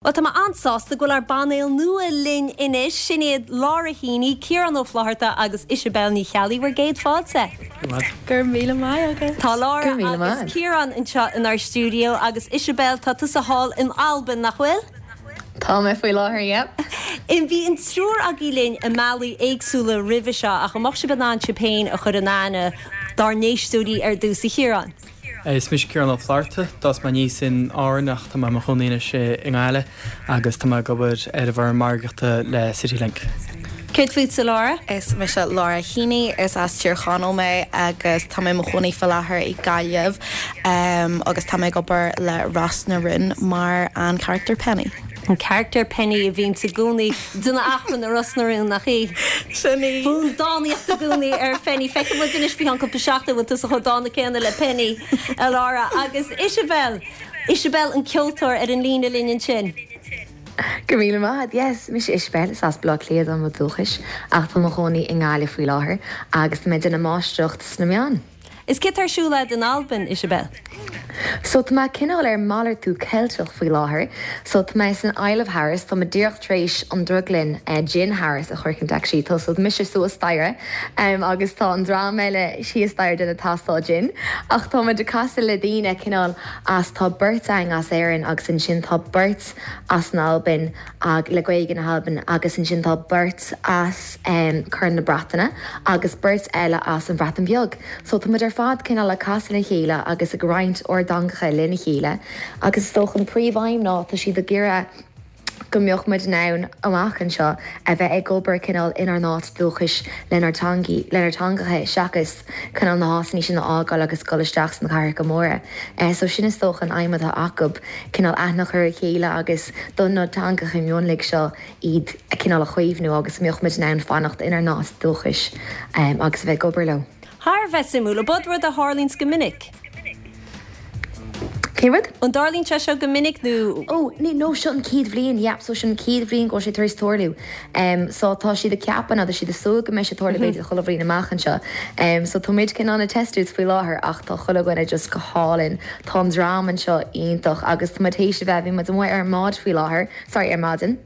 Bhuel, tá mé an-sásta go bhfuil ár bpainéal nua linn anois. Sin iad Laura Heaney, Ciarán Ó Flaithearta agus Isabel Ní Cheallaigh. Bhur gcéad fáilte. Go raibh míle maith agat. Tá Laura agus Ciarán anseo inár stiúideo agus Isabel, tá tusa thall in Albain, nach bhfuil? Tá mé faoi láthair, yep. Bhí an triúr agaibh linn i mbealaí éagsúla roimhe seo ach an mbeadh sibh in ann sibh féin a chur in aithne dár n-éisteoirí ar dtús, a Chiaráin? Is mise Ciarán Ó Flaithearta. D'fhás mé aníos in Árainn ach tá mé i mo chónaí anois i nGaillimh agus tá mé ag obair ar an bhfoireann margaíochta le CityLink. Céard fútsa, Laura? Is mise Laura Heaney, is as Tír Chonaill mé agus tá mé i mo chónaí faoi láthair i Gaillimh agus tá mé ag obair le Ros na Rún mar an charachtar Penny. An carachtar Penny a bhíonns i gcónaí ag déanamh achrann i Ros na Rún, nach í? Sin í. Fonn dánaíochta i gcónaí ar Phenny. Feicfidh muid anois faoi cheann cúpla seachtain an bhfuil tusa chomh dána céanna le Penny, a Laura. Agus Isabel! Isabel an ceoltóir ar an líne linn ansin. Go raibh míle maith agat. Yes, mise Isabel, is as Baile Átha Cliath dom ó dhúchas ach tá mo chónaí i nGaillimh faoi láthair agus tá mé ag déanamh máistreacht sna meáin. Is céard tá ar siúl agat in Albain, Isabel? So tá mé cineál ar malartú Ceilteach faoi láthair. So tá mé san Isle of Harris, tá mé díreach tar éis an drioglann Gin Harris a shroichint actually. Tá so mise suas staighre agus tá an dream eile thíos staighre ag déanamh tástáil gin. Ach tá muid ag casadh le daoine cineál as, tá beirt againn as Éirinn agus ansin tá beirt as an Albain ag le Gaeilge na hAlban agus ansin tá beirt as Corn na Breataine agus beirt eile as an Bhreatain Bheag. So tá muid ar fad cineál ag casadh le chéile agus ag roinnt ár dteangacha lena chéile agus is dócha an príomh-aidhm ná tá siad ag iarraidh go mbeadh muid in ann amach anseo a bheith ag obair cineál inár n-áit dúchais lenár dteangaí, lenár dteangacha seachas cineál na háiteanna sin a fhágáil agus dul isteach sna cathracha móra. So sin is dócha an aidhm atá acu. cineál aithne a chur ar a chéile agus do na teangacha mionlaigh seo iad a cineál a chaomhnú agus go mbeadh muid in ann fanacht inár n-áit dúchais agus a bheith ag obair leo. Thar a bheith suimiúil. An b'shin rud a tharlaíonns go minic? Cén rud? An dtarlaíonn sé seo go minic nó? Ó, ní, no, seo an chéad bhliain, yeah, so seo an chéad bhliain go bhfuil sé tar éis tarlú. So tá siad ag ceapadh nó tá siad ag súil go mbeidh sé ag tarlú b'fhéidir chuile bhliain amach anseo. So tá muid cineál ag testú faoi láthair ach tá chuile dhuine just go hálainn. Tá an dream anseo iontach agus tá muid théis a bheith, bhí muid amuigh ar an mbád faoi láthair, sorry, ar maidin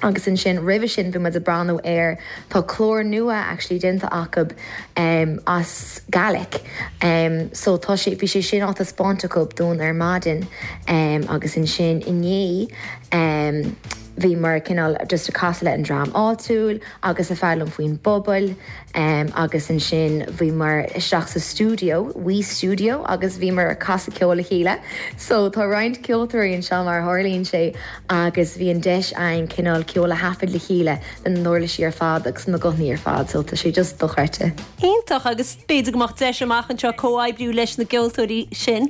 agus ansin roimhe sin bhí muid ag breathnú ar, tá clár nua actually déanta acu as Gaelic so tá sé, bhí sé sin á taispeáint acu dúinn ar maidin agus ansin inné bhíomar cineál just ag casadh le an dream áitiúil agus ag foghlaim faoin bpobal agus ansin bhíomar isteach sa stiúideo, wee studio agus bhíomar ag casadh ceoil le chéile. So tá roinnt ceoltóirí anseo mar a tharlaíonn sé agus bhí an deis againn cineál ceol a thaifead le chéile le na n-uirlisí ar fad agus na guthanna ar fad so tá sé just dochreidte. Iontach agus b'fhéidir go mbeadh deis amach anseo comhoibriú leis na gceoltóirí sin.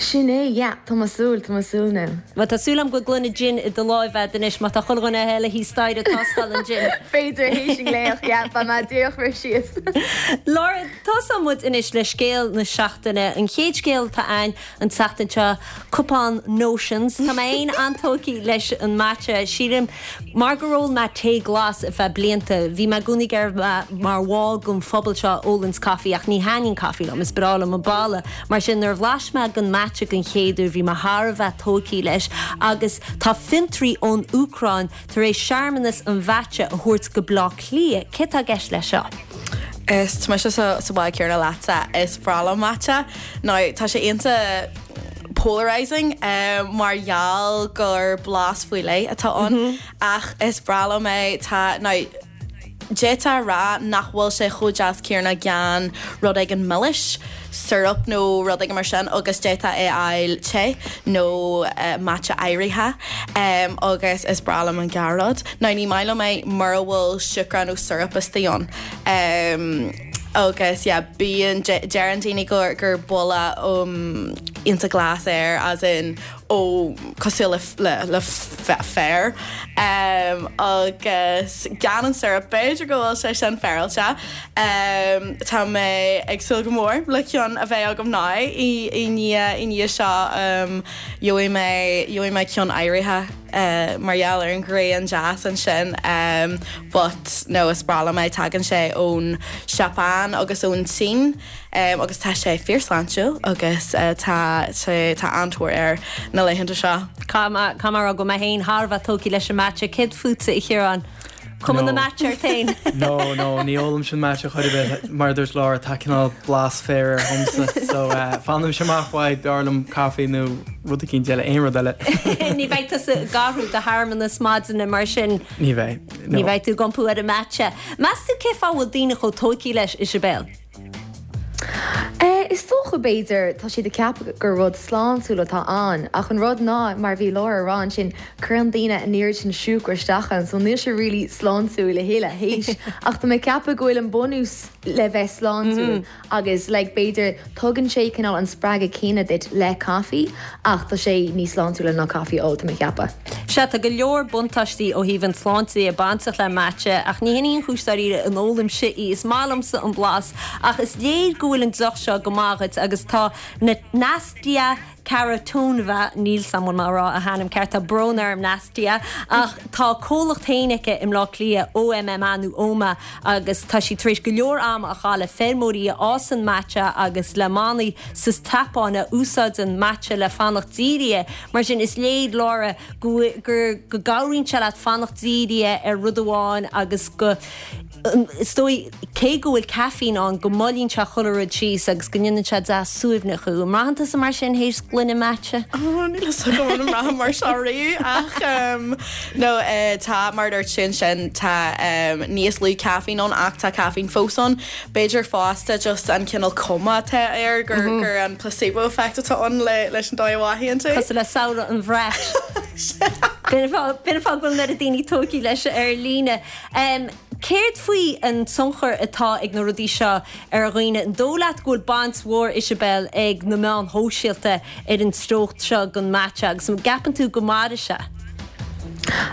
Sin é, yeah, tá mé ag súil, tá mé ag súil now. Bhuel, tá súil agam go bhfuil gloine gin i do láimh a'd anois má tá chuile dhuine eile thíos staighre ag tástáil an gin. B'fhéidir théis an glaoch, yeah, beidh mé díreach rith síos. Laura, tosóidh muid anois le scéal na seachtaine. An chéad scéal atá a'ainn an tseachtain seo, cupán Notions. Tá mé féin an-tógtha leis an matcha. Sílim Mar gur ól mé tae glas ar feadh blianta, bhí mé i gcónaí ag iarraidh bheith mar bhall den phobal seo a ólanns caife ach ní thaitníonn caife liom, is breá liom an boladh. Mar sin, nuair a bhlais mé den matcha den chéad uair, bhí mé thar a bheith tógtha leis agus tá fiontraí ón Úcráin tar éis searmanas an mhatcha a thabhairt go Bleá Cliath. Céard tá i gceist leis seo? Is tá mise sa bhád céanna leatsa, is breá liom matcha. Now, tá sé iontach polarizing mar gheall gur blas faoi leith atá ann ach is breá liom é. Tá, now, d'fhéadfá a rá nach bhfuil sé chomh deas céanna gan rud éigin milis, syrup nó rud éigin mar sin agus d'fhéadfá é a fháil te nó matcha áirithe agus is breá liom an dhá rud. Now ní maith liom é mura bhfuil siúcra nó syrup istigh ann. Agus yeah bíonn, deireann daoine gur gur boladh iontach glas air as in ó cosúil le le le féar agus gan an syrup b'fhéidir go bhfuil sé sin féaráilte. Tá mé ag súil go mór le ceann a bheith agam now i i ndiaidh i ndiaidh seo gheobhaidh mé gheobhaidh mé ceann áirithe. mar gheall ar an ghrian deas ansin but no is breá liom é, tagann sé ón Seapáin agus ón tSín agus tá sé fíorshláintiúil agus tá sé tá an-tóir air na. na laethanta seo. Caithfidh mé a rá go bhfuil mé féin thar a bheith tógtha leis an matcha. Céard fútsa, a Chiaráin? Cuma na matcha ort féin? No, no, ní ólaimse an matcha chor ar bith. Mar a dúirt Laura, tá cineál blas féir air dhomsa. So, fanaimse amach uaidh, b'fhearr liom caife nó rud eicínt eile, aon rud eile. Ní bheidh tusa ag athrú do shearmanas maidine mar sin. Ní bheidh, no. Ní bheidh tú ag iompú ar an matcha. Meas tú cén fáth a bhfuil daoine chomh tógtha leis, Isibéal? Is dócha, b'fhéidir, tá siad ag ceapadh gur rud sláintiúil atá ann, ach an rud ná, mar a bhí Laura a rá ansin, cuireann daoine an oiread sin siúcra isteach ann, so níl sé really sláintiúil a thuilleadh, théis. Ach tá mé ag ceapadh go bhfuil an bunús le bheith sláintiúil agus like b'fhéidir tugann sé cineál an spreagadh céanna duit le caife ach tá sé níos sláintiúla ná caife a ól, tá mé ag ceapadh. Sea, tá go leor buntáistí ó thaobh an tsláinte de bainteach le matcha, ach ní hin í an chúis dáiríre a n-ólaimse í. Is maith liomsa an blas, ach is léir go bhfuil an deoch seo go maith dhuit agus tá Nastia Kharitonova, níl 's a'm an bhfuil mé ag rá a hainm ceart, tá brón orm Nastia, ach tá a comhlacht féin aici i mBleá Cliath, OMMA nó Oma, agus tá sí tar éis go leor ama a chaitheamh le feirmeoirí a fhásann matcha agus le manaigh sa tSeapáin a úsáideann matcha le fanacht dírithe. Mar sin, is léir, Laura, go gur go gcabhraíonn sé leat fanacht dírithe ar rud amháin agus go, is dóigh, cé go bhfuil caiféin ann, go moillíonn sé chuile rud síos agus go ndéanann sé deas suaimhneach thú. An mbraitheann tusa mar sin théis gloine matcha? Oh, níl a fhios agam an mbraithim mar seo riamh ach no, tá, mar a dúirt tú ansin, tá níos lú caiféin ann ach tá caiféin fós ann. B'fhéidir fosta just an cineál cuma atá air gur gur an placebo effect atá ann le leis an dóigh a mhothaíonn tú. Cosúil le samhradh an bhrait. B'in an fáth b'in an fáth go bhfuil an oiread daoine tógtha leis ar líne. Céard faoi an tionchar atá ag na rudaí seo ar dhaoine? An dóigh leat go bhfuil baint mhór, Isibéal, ag na meáin shóisialta ar an treocht seo don matcha agus an gceapann tú go mairfidh sé?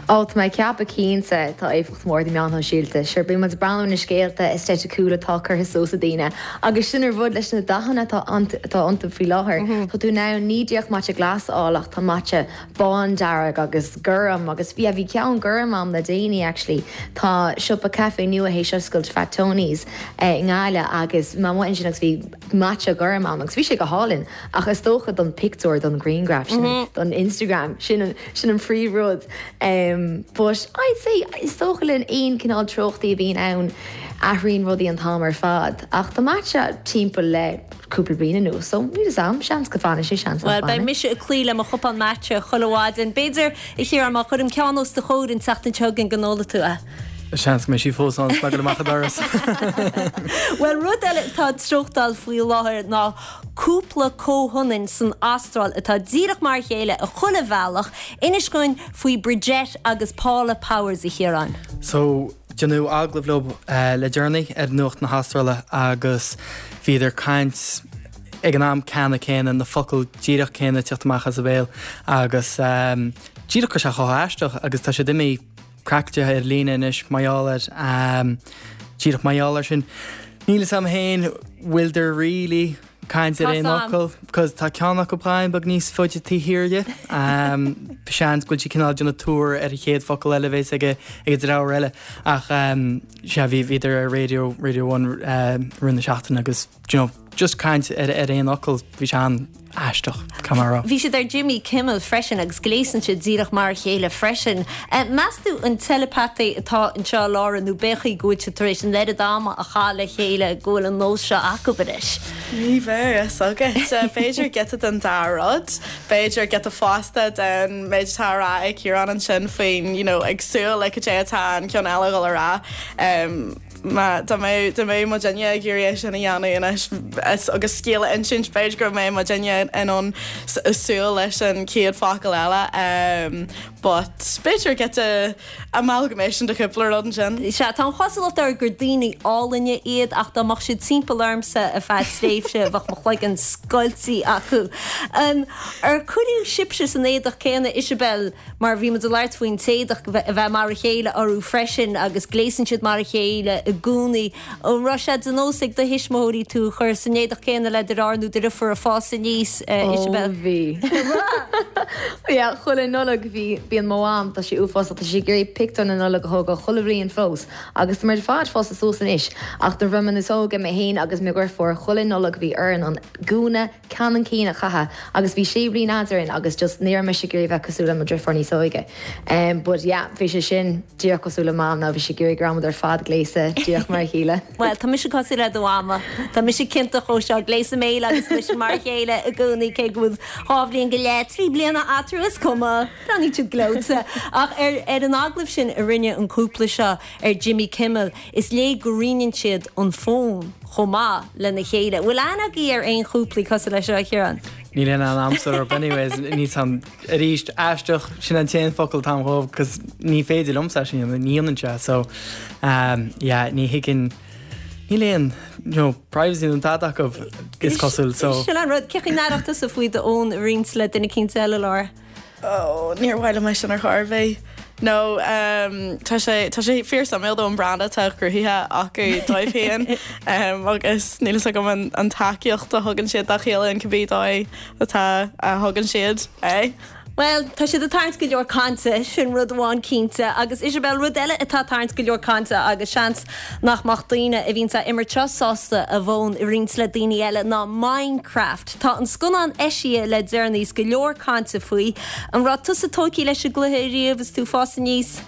Ó, tá mé ag ceapadh cinnte, tá éifeacht mhór ag na meáin shóisialta. Sure, bíonn muid ag breathnú ar na scéalta aestheticúla atá curtha suas ag daoine agus sin an rud leis na dathanna atá atá iontu faoi láthair. Tá tú in ann ní díreach matcha glas a fháil ach tá matcha bándearg agus gorm agus yeah bhí ceann gorm a'm le déanaí actually. Tá siopa caife nua théis oscailt, Fat Tony's, i nGaillimh agus bhí mé amuigh ansin agus bhí matcha gorm ann agus bhí sé go hálainn ach is dócha don pictiúr, don ghrianghraf sin, don Instagram, sin an, sin an príomh rud. But I'd say is dócha le aon cineál treochtaí a bhíonn ann, athraíonn rudaí an t-am ar fad ach tá matcha timpeall le cúpla bliain anuas so níl 'fhios a'm, seans go bhfanfaidh sé, seans nach Bhuel, beidh bhfanfaidh. mise ag cloí le mo chupán matcha chuile mhaidin. B'fhéidir, a Chiaráin, má chuirim ceann os do chomhair an tseachtain seo chugainn go n-ólfaidh tú é. Seans go mbeidh sí fós ann is mé ag dul amach an doras. Bhuel, rud eile atá ag treochtáil faoi láthair ná cúpla comhionann san Astráil atá díreach mar a chéile i chuile bhealach. Inis dúinn faoi Bridgette agus Paula Powers, a Chiaráin. So, déanadh agallamh leo le deireanaí ar Nuacht na hAstráile agus bhíodar ag caint ag an am ceanna céanna, na focail díreach céanna ag teacht amach as a béal agus díreach go raibh sé chomh haisteach agus tá siad imithe craiceáilte ar líne anois mar gheall air. Díreach mar gheall air sin. Níl 'fhios a'm féin bhfuileadar really caint ar aon fhocal, cos tá ceann acu beagáinín beag níos faide taobh thiar de. Seans go bhfuil sí cineál déanamh tuar ar an chéad focal eile a bhéas ag an dreabhar eile. Ach sea, bhí bhíodar ar Radio, Radio One rith na seachtaine agus, do you know, just caint ar ar aon fhocal, bhí sé an aisteach, caithfidh mé a rá. Bhí siad ar Jimmy Kimmel freisin agus gléasann siad díreach mar a chéile freisin. Meas tú an teileapataí atá anseo, a Laura, nó b'é an chaoi go bhfuil siad tar éis an oiread ama a chaitheamh le chéile go bhfuil an nós seo acu anois? Ní bheadh a fhios agat. B'fhéidir giota den dá rud. B'fhéidir giota fosta den méid atá á rá ag Ciarán ansin faoin, you know, ag súil le cad é atá an ceann eile a dhul a rá. Má, dá mbeadh, dá mbeadh muidinne ag iarraidh é sin a dhéanamh anois is, agus scéal a insint, b'fhéidir go mbeadh muidinne in ann súil leis an chéad focal eile. But b'fhéidir giota amalgamation de chúpla rud ansin. Sea, tá an chosúlacht air gur daoine álainne iad ach dá mbeadh siad timpeall ormsa ar feadh tréimhse bheadh mo chloigeann scoilte acu. Ar cuireadh sibhse san éadach céanna, Isabel? Mar bhí muid ag labhairt faoin t-éadach a bheith mar a chéile orthu freisin agus gléasann siad mar a chéile i. gcónaí. An raibh sé de nós ag do thuismitheoirí tú a chur san éadach céanna le do dheartháir nó do dheirfiúr ag fás aníos, Isabel? Ó bhí. Yeah, chuile Nollaig bhí, bíonn mo mham, tá sí uafásach, tá sí ag iarraidh pictiúr na Nollag a thógáil chuile bhliain fós agus tá muid ar fad fásta suas anois ach nuair a bhí mé níos óige mé féin agus mo dheirfiúr chuile Nollaig bhí orainn an gúna ceannann céanna a chaitheamh agus bhí sé bliain eadrainn agus just ní raibh mise ag iarraidh bheith cosúil le mo dheirfiúr níos óige. Em but yeah bhí sé sin díreach cosúil le Mam now bhí sí ag iarraidh go raibh muid ar fad gléasta díreach mar a chéile. Bhuel tá mise cosúil le do mhama. Tá mise ciontach chomh seo, gléasadh mé agus mise mar a chéile i gcónaí cé go bhfuil dhá bhliain go leith, trí bliana eatarthu is cuma, breathnaíonn siad gleoite. Ach ar ar an agallamh sin a rinne an cúpla seo ar Jimmy Kimmel is léir go roinneann siad an fón. chomh maith lena chéile. Bhfuil aithne agaibh ar aon chúplaí cosúil leis seo, a Chiaráin? Níl aon aithne a'msa orthu anyways, níl 's a'm, arís, aisteach, sin an t-aon focal atá a'm dhóibh 'cause ní féidir liomsa é sin a dhéanamh, ní dhéanann sé so um yeah ní thuigeann, níl aon you know privacy nó tada acu is cosúil so. Sin an rud, cén chaoi an aireodh tusa faoi do fhón a roinnt le duine eicínt eile, Laura? Oh, níor mhaith liom é sin ar chor ar bith. No, um, tá sé, tá sé fíor suimiúil though an brand atá cruthaithe acu dóibh féin um, agus níl fhios agam an, an tacaíocht a thugann siad dá chéile in cibé dóigh atá a thugann siad é. Bhuel, tá siad ag tarraingt go leor cainte, sin rud amháin cinnte. Agus Isabel, rud eile atá ag tarraingt go leor cainte agus seans nach mbeadh daoine a bhíonns á imirt seo sásta a bhfón a roinnt le daoine eile ná Minecraft. Tá an scannán eisithe le deireanaí is go leor cainte faoi. An raibh tusa tógtha leis an gcluiche ariamh is tú ag fás aníos?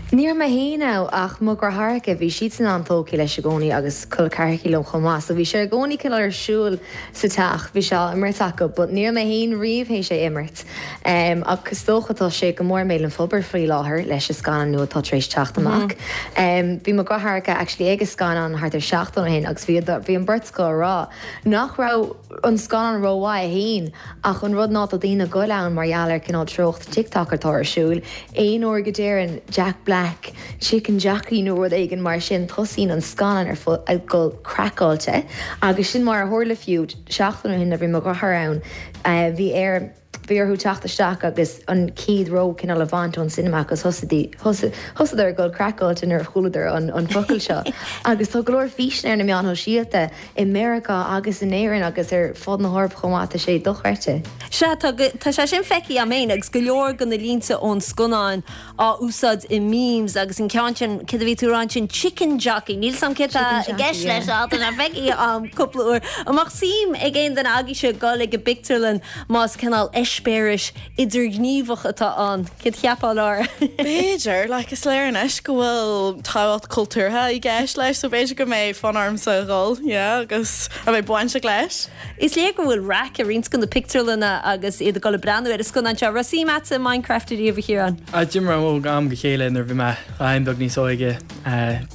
Ní raibh mé féin ann ach mo dheartháireacha, bhí siadsan an-tógtha leis i gcónaí agus col ceathracha liom chomh maith so bhí sé i gcónaí cineál ar siúl sa teach, bhí sé á imirt acu but ní raibh mé féin riamh théis é imirt. Ach is dócha tá sé go mór i mbéal an phobail faoi láthair leis an scannán nua atá tar éis teacht amach. Bhí mo dheartháireacha actually ag an scannán thart ar seachtain ó shin agus bhí bhí an bheirt acu ag rá nach raibh an scannán rómhaith féin ach an rud ná tá daoine ag goil ann mar gheall ar cineál treocht TikTok atá ar siúl, aon uair go deireann Jack Black chicken jockey nó rud éigin mar sin tosaíonn an scannán ar fad ag dul craiceáilte agus sin mar a tharla fiú seachtain ó shin nuair a bhí mo dheartháir ann bhí air bhí orthu teacht isteach agus an chéad ró cineál a bhaint ón cinema agus thosaíodar ag dul craiceáilte nuair a chualadar an focal seo agus tá go leor físeanna ar na meáin shóisialta i Meiriceá agus in Éirinn agus ar fud na hEorpa chomh maith, tá sé dochreidte. Sea, tá, tá sé sin feicthe agam féin agus go leor de na línte ón scannán á úsáid i memes agus an ceann sin, céard a bhí tú a rá ansin, chicken jockey, níl 's a'm céard tá i gceist leis ach tá sé feicthe agam cúpla uair. An mbeadh suim ag aon duine agaibhse dul ag an bpictiúrlann más cineál eispéiris idirghníomhach atá ann? Céard a cheapfá, Laura? B'fhéidir, like, is léir anois go bhfuil tábhacht cultúrtha i gceist leis, so b'fhéidir go mbeidh fonn ormsa a dhul, yeah, agus a bheith bainteach leis. Is léir go bhfuil raic i roinnt de na pictiúrlanna agus iad ag dul ag breathnú ar an scannán seo. Raibh suim agatsa i Minecraft ariamh, a Chiaráin? Ah, d'imir mé ó am go chéile nuair a bhí mé dhá beag níos óige,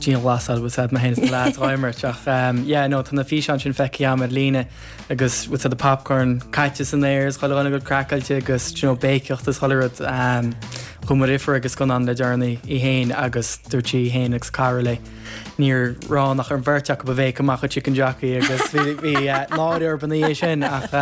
dianghlasáil, bhfuil 's a'd, mé féin is na lads dhá imirt ach, yeah, no, tá na físeáin sin feicthe agam ar líne. agus bhfuil 's a'd popcorn caite san aer is chuile dhuine ag dul craiceáilte agus do you know béiceacht is chuile rud. Chuaigh mo dheirfiúr ag an scannán le deireanaí í féin agus dúirt sí í féin agus cara léi níor raibh ann ach an bheirt acu a bhéic amach an chicken jockey agus bhí bhí náire orthu ina dhiaidh sin ach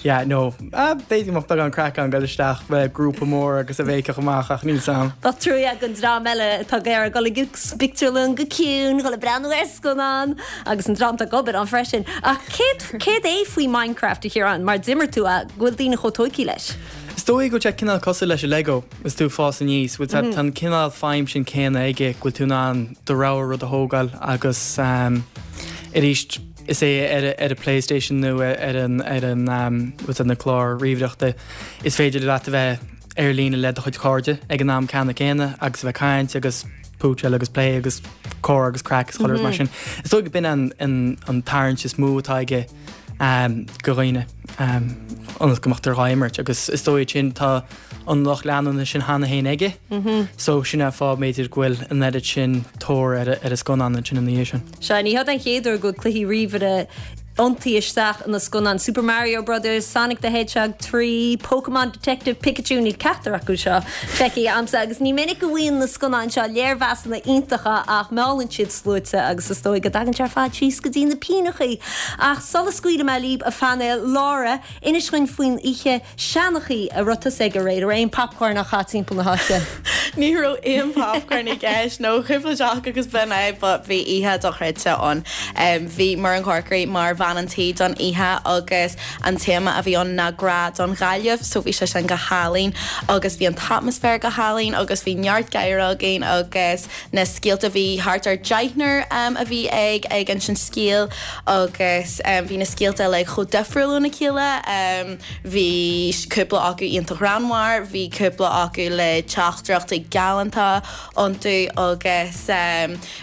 yeah no b'fhéidir go mbeadh beagán craic ann dul isteach le grúpa mór agus a bhéiceach amach ach níl 's a'm. Bheadh trua don dream eile atá ag iarraidh dul ag an bpictiúrlann go ciúin, dul ag breathnú ar scannán agus an dream atá ag obair ann freisin. Ach céard, céard é faoi Minecraft, a Chiaráin, mar d'imir tú é, go bhfuil daoine chomh tógtha leis? Is dóigh go bhfuil sé cineál cosúil leis an Lego is tú ag fás aníos, bhfuil tá an cineál feidhm sin céanna aige, go bhfuil tú in ann do rogha rud a thógáil agus arís is é ar ar an PlayStation nó ar an ar an bhfuil 's a'd na cláir ríomhaireachta is féidir leat a bheith ar líne le do chuid cairde ag an am ceanna céanna agus a bheith ag caint agus púitseáil agus plé agus comhrá agus craic is chuile rud mar sin. Is dóigh go b'in an an an tarraingt is mó atá aige go dhaoine ionas go mbeadh tú dhá imirt agus is dóigh sin tá an lucht leanúna sin cheana féin aige so sin an fáth b'fhéidir go bhfuil an oiread sin tóir ar ar an scannán ansin ina dhiaidh sin. Sea, ní hiod an chéad uair go bhfuil cluichí ríomhaire iontaithe isteach ina scannán. Super Mario Brothers, Sonic the Hedgehog 3, Pokemon Detective Pikachu, níl ceachtar acu seo feicthe a'msa agus ní minic go bhfaigheann na scannáin seo léirmheasanna iontacha ach meallann siad sluaite agus is dóigh go dtagann sé ar fad síos go dtí na pingneachaí. Ach sula scaoilfidh mé libh, a phainéal, Laura, inis dhuinn faoin oíche seanchaí a raibh tusa ag aréir, an raibh aon popcorn á chaith timpeall na háite? Ní raibh aon popcorn i gceist nó cúpla deoch agus b'in é but bhí oíche dochreidte ann. Bhí Muireann Corkery mar bhean an tí don oíche agus an téama a bhí ann ná grá don Ghaillimh so bhí sé sin go hálainn agus bhí an t-atmaisféar go hálainn agus bhí neart gáire againn agus na scéalta bhí thart ar deichniúr a bhí ag ag insint scéal agus bhí na scéalta uilig chomh difriúil óna chéile. Bhí cúpla acu iontach greannmhar, bhí cúpla acu le teachtaireachtaí galánta iontu agus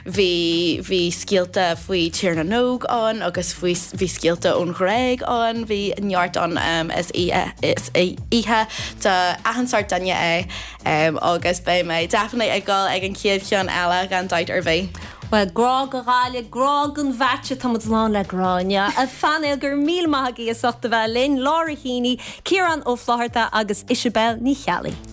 bhí bhí scéalta faoi Tír na nÓg ann agus faoi bhí scéalta ón Ghréig ann, bhí neart ann is is oíche do achan sórt duine é agus beidh mé definitely ag dul ag an chéad cheann eile gan dabht ar bith. Bhuel, grá do Ghaillimh, grá don mheaitse, tá muid lán le grá inniu. A phainéal, go raibh míle maith agaibh as ucht a bheith linn, Laura Heaney, Ciarán Ó Flaithearta agus Isabel Ní Cheallaigh.